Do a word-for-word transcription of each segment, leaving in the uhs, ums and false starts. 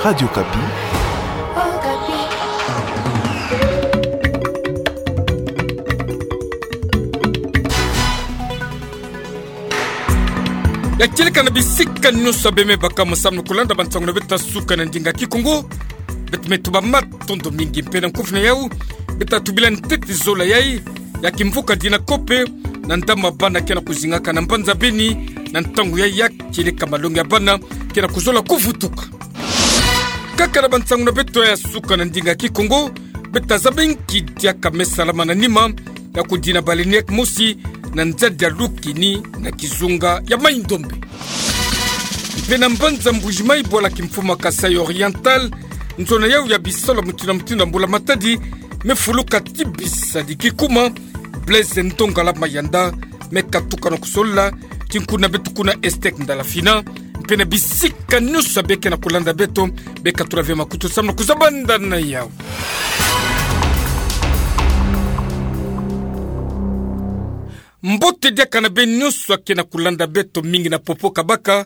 Radio Okapi. Ya kieleka na bisika nyonso beme baka mo samno kulanda bansango na beto ya suka na ndinga Kikongo. Beto me tuba matondo mingi mpe na nkufi na yau. Beto tubila ntete zola yai ya kimvuka Dinacope na ndambu ya bana ke na kuzingaka na mbanza Beni na ntangu yai ya kieleka malongi ya bana ke na kuzola kuvutuka. Kaka na bansango na beto ya suka na ndinga Kikongo, beto zaba nki diaka me salama na nima ya kudina baleinière mosi na nzadi ya Lukini na kizunga ya Mai-Ndombe. Mpe na mbanza Mbuji-Mayi, bwala kimfumu ya Kasaï Oriental, nzona yau ya bisalu ya mutindu na mutindu ya mbula matadi me fuluka ti bisadi kikuma. Blaise Ndongala Mayanda me katuka na kusolola ti nkuna beto kuna Estec Ndala Fina, mpe na bisika nyonso beke na kulanda beto, be katula ve makutu samno kuzabanda na yau. Mbote diaka na beno nyonso ake na kulanda beto, mingi na popo kabaka,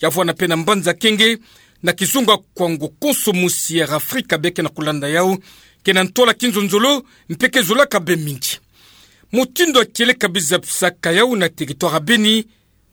ya vwanda mpe na mbanza kenge, na kizunga Kwango, konso mosi ya Afrika beke na kulanda yau, ke na ntwala kinzonzolo, mpe ke zolaka be mingi. Mutindu ya kieleka biza bisaka yau na territoire ya Beni,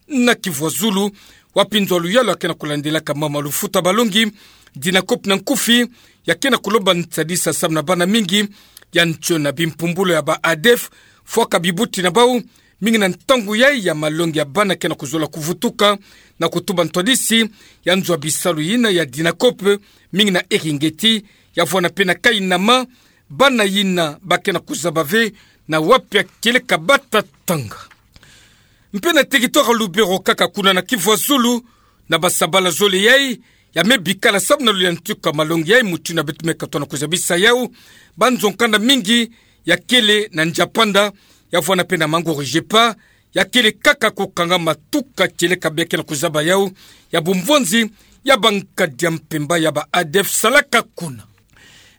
na Kivu ya zulu, wapi nzo ya luyalu ake na kulandelaka mama lufuta balongi, Dinacope na nkufi, ya ke na kulomba nsadisa samu na bana mingi ya ntiona bimpumbulu ya ba ADF, fwaka bibuti na bau, mingi na ntangu yai ya malongi ya bana ke na kuzola kuvutuka, na kutuba ntwadisi ya nzo ya bisalu yina ya Dinacope, mingi na Eringeti, ya vwanda mpe na Kainama, bana yina ba ke na kuzaba ve na wapi ya kieleka bata tanga. Mpe na territoire ya Lubero kaka kuna na Kivu ya zulu, na basabala zole yai ya me bikala samu na luyantika malongi yai, mutindu beto me katoa na kuzabisa yau, banzo-nkanda mingi ya kele na Nziapanda, ya vwanda mpe na Mangoro-Gepa, ya kele kaka kukangama tuka kieleka beke na kuzaba yau, ya bumvwanzi ya bankadi ya mpemba ya ba ADF salaka kuna.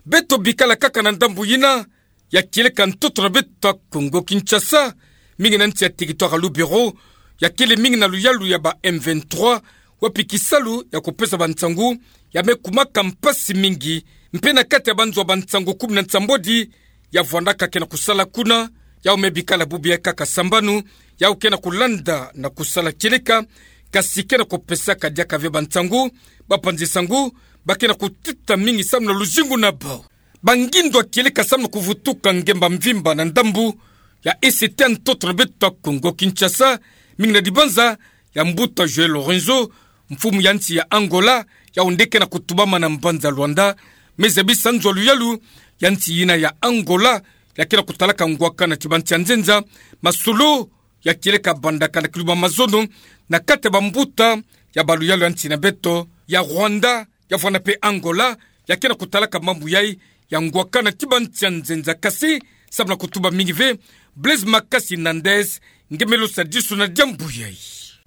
Beto bikala kaka na ndambu yina ya kieleka ntoto na beto ya Kongo Kinshasa, mingi na nsi ya territoire ya Lubero, ya kele mingi na luyalu ya ba M vingt-trois, wapi kisalu ya kupesa bansangu ya me kumaka mpasi mingi, mpe na kati ya banzo ya bansangu kumi na nsambwadi ya vwandaka ke na kusala kuna, yau me bikala bubu yai kaka sambanu, yau ke na kulanda na kusala kieleka, kasi ke na kupesaka diaka ve bansangu, bapanzi-sangu ba ke na kutita mingi samu na luzingu na bau. Bangindo ya kieleka samu na kuvutuka ngemba mvimba na ndambu ya E C T ya ntoto na beto ya Kongo Kinshasa, mingi na dibanza ya mbuta João Lourenço, mfumu ya nsi ya Angola, yau nde ke na kutubama na mbanza Luanda, me zabisa nzo ya luyalu ya nsi yina ya Angola, ya ke na kutalaka ngwakana ti bansi ya nzenza, masolo ya kieleka bandaka na kiluma mazono na kati ya bambuta ya baluyalu ya nsi na beto ya Rwanda, ya vwanda mpe Angola, ya ke na kutalaka mambu yai ya ngwakana ti bansi ya nzenza. Kasi samu na kutuba mingi ve, Blaise Makasi Nandez nge me losa disu na diambu yai.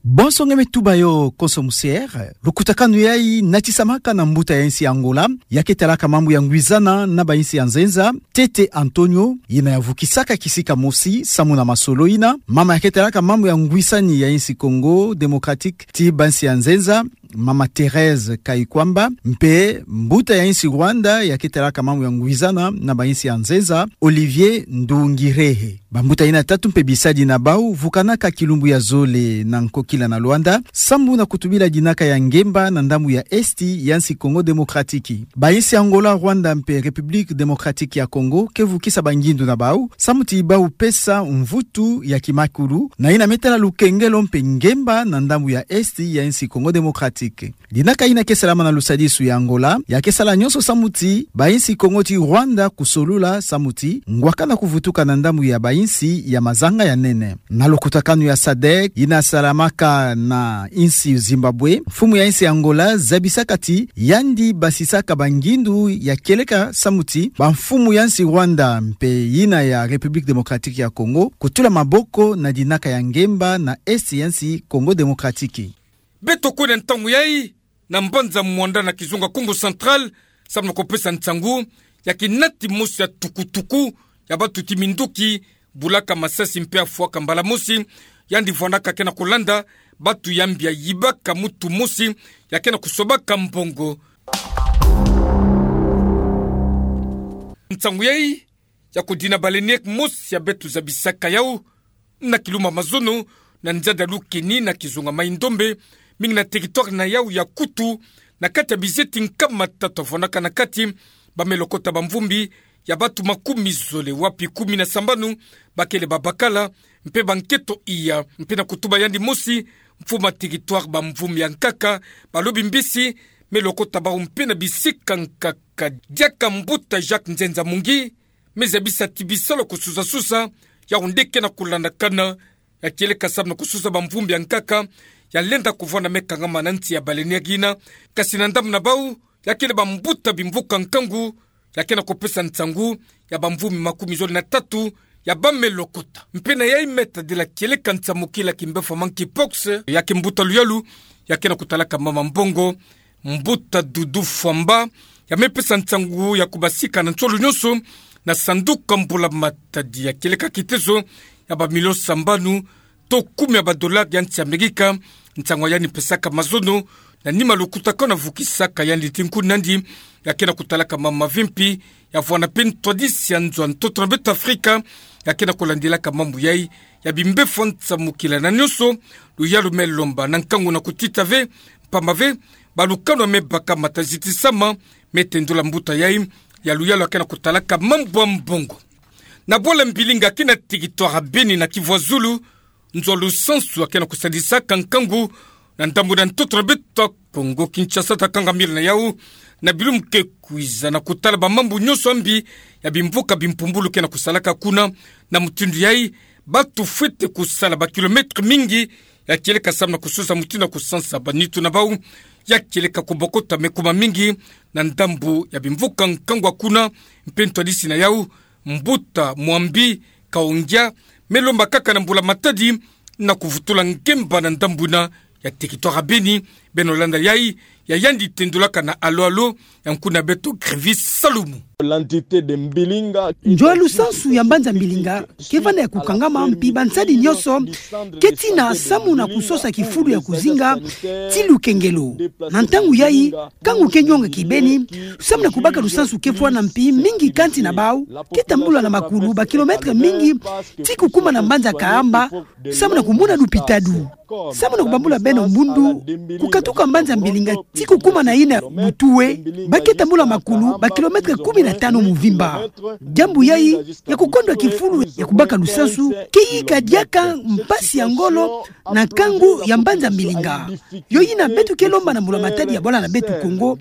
Bonso nge me tuba yo, konso musiere. Lukutakanu yai natisamaka na mbuta ya nsi Angola ya ke talaka mambu ya ngwizana na bainsi ya nzenza, Tete António, yina ya vukisaka kisika mosi samu na masolo yina, mama ya ke talaka mambu ya ngwisani ya insi Congo Démocratique ti bansi ya nzenza, mama Thérèse Kayikwamba, mpe mbuta ya insi Rwanda ya ke talaka mambu ya ngwizana na bainsi ya nzenza, Olivier Nduhungirehe. Bambuta yina tatu mpe bisadi na bau vukanaka kilumbu ya zole na nkokila na Luanda, sambu na kutubila dinaka ya ngemba na ndambu ya esti ya insi Congo Démocratique. Bainsi Angola, Rwanda mpe République Démocratique ya Congo ke vukisa bangindu na bau, samu ti bau pesa mvutu ya kimakulu na yina me tala lukengelo mpe ngemba na ndambu ya esti ya insi Congo Démocratique. Dinaka yina ke salama na lusadisu ya Angola ya ke sala nyonso samu ti bainsi Congo ti Rwanda kusolula samu ti ngwakana kuvutuka na ndambu ya bainsi ya mazanga ya nene. Na lukutakanu ya sadek yina salamaka na insi Zimbabwe, mfumu ya insi Angola zabisaka ti yandi basisaka bangindu ya kieleka samu ti bamfumu ya insi Rwanda mpe yina ya République Démocratique ya Congo kutula maboko na dinaka ya ngemba na esti ya insi Congo Démocratique. Beto kwenda ntangu yai na mbanza Muanda na kizunga Kongo Central, samu na kupesa nsangu ya kinati mosi ya tukutuku ya batu ti minduki, bulaka masasi mpe afwaka mbala mosi, yandi vwandaka ke na kulanda batu ya mbi ya yibaka mutu mosi ya ke na kusobaka mbongo. Nsangu yai ya kudina baleinière mosi ya beto zabisaka yau na kiluma mazono na nzadi ya Lukeni na kizunga Mai-Ndombe, mingi na territoire na yau ya kutu, na kati ya bizeti nkama tatu ya vwanaka na kati, bamelo kota bamvumbi ya bato makumi zole, wapi kumi na sambanu bakele babakala, mpe banketo iya, mpe na kutuba yandi mosi, mfumu ya territoire bamvumbi ya nkaka, balobi mbisi melo kota bau mpe na bisika nkaka. Diaka mbuta Jacques Nzenza Mungi me zabisa ti bisalu ya kususasusa, yau nde ke na kulandakana, ya kieleka samu na kususa bamvumbi ya nkaka ya lenda kuvwanda me kangama na nsi ya baleinière ina, kasi na ndambu na bau ya kele bambuta bimvuka nkangu ya ke na kupesa nsangu ya bamvumbi makumi zole na tatu ya bamelo kota. Mpe na yai me tadila kieleka nsamukila kimbefo ya monkeypox, ya ke mbuta luyalu ya ke na kutalaka mama mbongo, mbuta Dudu Fwamba, ya me pesa nsangu ya kubasika na nsolo nyonso na sanduku ya mbula matadi ya kieleka kitezo ya bamilio sambanu to kumi ya badolari ya nsi ya Amerika, nsangu ya yandi pesaka mazono na nima lukutakanu ya vukisaka yandi ti nkuni nandi, ya ke na kutalaka mama Vimpi, ya vwanda mpe ntwadisi ya nzo ya ntoto na beto Afrika, ya ke na kulandilaka mambu yai ya bimbefo ya nsamukila na nyonso, luyalu me lomba na nkangu na kutita ve, mpamba ve balukanu ya me baka matazitisama, me tendula mbuta yai ya luyalu ya ke na kutalaka mambu ya mbongo. Na bwala mbilinga kina territoire ya Beni na Kivu ya Zulu, nzo ya lusansu ya ke na kusadisaka nkangu na ndambu na ntoto na beto ya Kongo Kinshasa, ta kanga mila na yau na bilumbu ke kwiza na kutala bamambu nyonso ya mbi ya bimvuka bimpumbulu ke na kusalaka kuna, na mutindu yai bato fwete kusala bakilomètre mingi, ya kieleka samu na kususa mutindu ya kusansa banitu na bau, ya kieleka kubokota me kuma mingi na ndambu ya bimvuka nkangu ya kuna. Mpe ntwadisi na yau, mbuta Mwambi Kaongia, me lomba kaka na mbula matadi na kuvutula ngemba na ndambu ina ya territoire ya Beni, beno landa yai ya yandi tendulaka na Alo Alo ya nkuni na beto Grevis Salumu. L'entité de Mbilinga. Nzo ya lusansu ya mbanza Mbilinga ke vanda ya kukangama, mpi bansadi nyonso ke tina samu na kusosa kifulu ya kuzinga ti lukengelo. Na ntangu yai, nkangu ke nyonga kibeni samu na kubaka lusansu ke fwana, mpi mingi kati na bau ke tambula na makulu bakilomètre mingi ti kukuma na mbanza Kahamba samu na kumona lupitalu. Samu na kubambula beno mbundu, kukatuka mbanza Mbilinga ti kukuma na yina Butuwe, ba ke tambula makulu bakilomètre kumi na tanu muvimba. Diambu yai ya kukondwa kifulu ya kubaka lusansu ke yika diaka mpasi ya ngolo na nkangu ya mbanza Mbilinga. Yo yina beto ke lomba na mbula matadi ya bwala na beto Kongo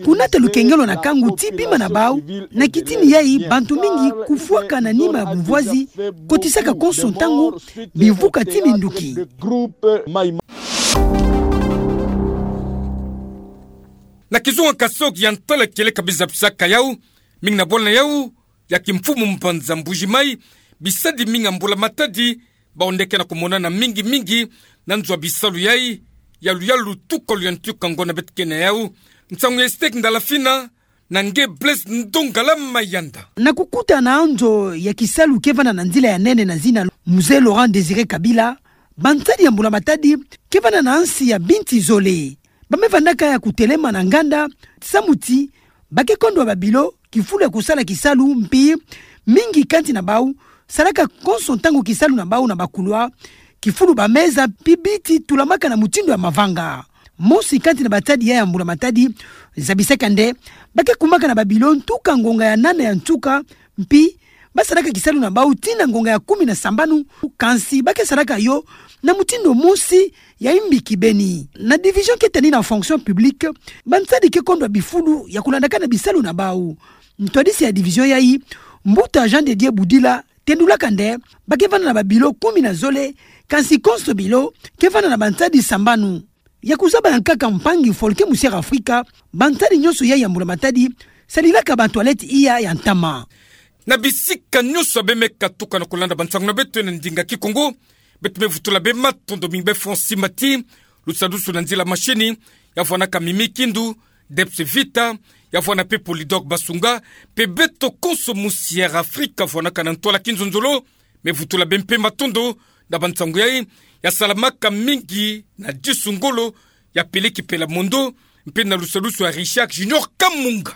kunata lukengelo na nkangu ti bima na bau, na kitini yai bantu mingi kufwaka na nima ya bumvwazi, kotisaka konso ntangu bimvuka ti minduki. Na kizunga Kasaï Oriental, kieleka biza bisaka yau, mingi na bwala na yau ya kimfumu mbanza Mbuji-Mayi, bisadi mingi ya mbula matadi, bau nde ke na kumonana mingi mingi na nzo ya bisalu yai ya luyalu tuka luyantika ngo na beto ke na yau. Nsangu ya Estek Ndalafina na nge Blaise Ndongala Mayanda. Na kukuta na nzo ya kisalu ke vanda na nzila ya nene na zina Musée Laurent Désiré Kabila, bansadi ya mbula matadi ke vanda na nsi ya binti zole. Ba me vandaka ya kutelema na nganda samu ti ba ke kondwa babilo kifulu ya kusala kisalu, mpi mingi kati na bau salaka konso ntangu kisalu na bau na bakulwa, kifulu bameza, mpi biti tulamaka na mutindu ya mavanga. Mosi kati na bansadi yai ya mbula matadi zabisaka nde ba ke kumaka na babilo ntuka ngonga ya nana ya ntuka, mpi ba salaka kisalu na bau tii na ngonga ya kumi na sambanu, kansi ba ke salaka yo na mutindu mosi ya imbi kibeni. Na division ke tani na fonction publique, bansadi ke kondwa bifulu ya kulandaka na bisalu na bau. Ntwadisi ya division yai, mbuta Jean de Dieu Budila, tendulaka nde ba ke vanda na babilo kumi na zole, kansi konso bilo ke vanda na bansadi sambanu. Ya kuzaba ya nkaka mpangi Folke Musière Afrika, bansadi nyonso yai ya mbula matadi sadilaka batoilette iya ya ntama. Na bisika nyonso ya be me katuka na kulanda bansangu na beto na ndinga Kikongo, beto me vutula be matondo mingi be Francis Mati, lusadusu na nzila mashini, ya vwanaka Mimi Kindu, Debs Vita, ya vwana mpe Polydor Basunga, mpe beto konso Musière Afrika vwanaka na ntwala kinzonzolo, me vutula be mpe matondo na bansangu yai, ya salamaka mingi na Disu Ngolo, ya Peleki Pela Mondo, mpe na lusadusu ya Richard Junior Kamunga.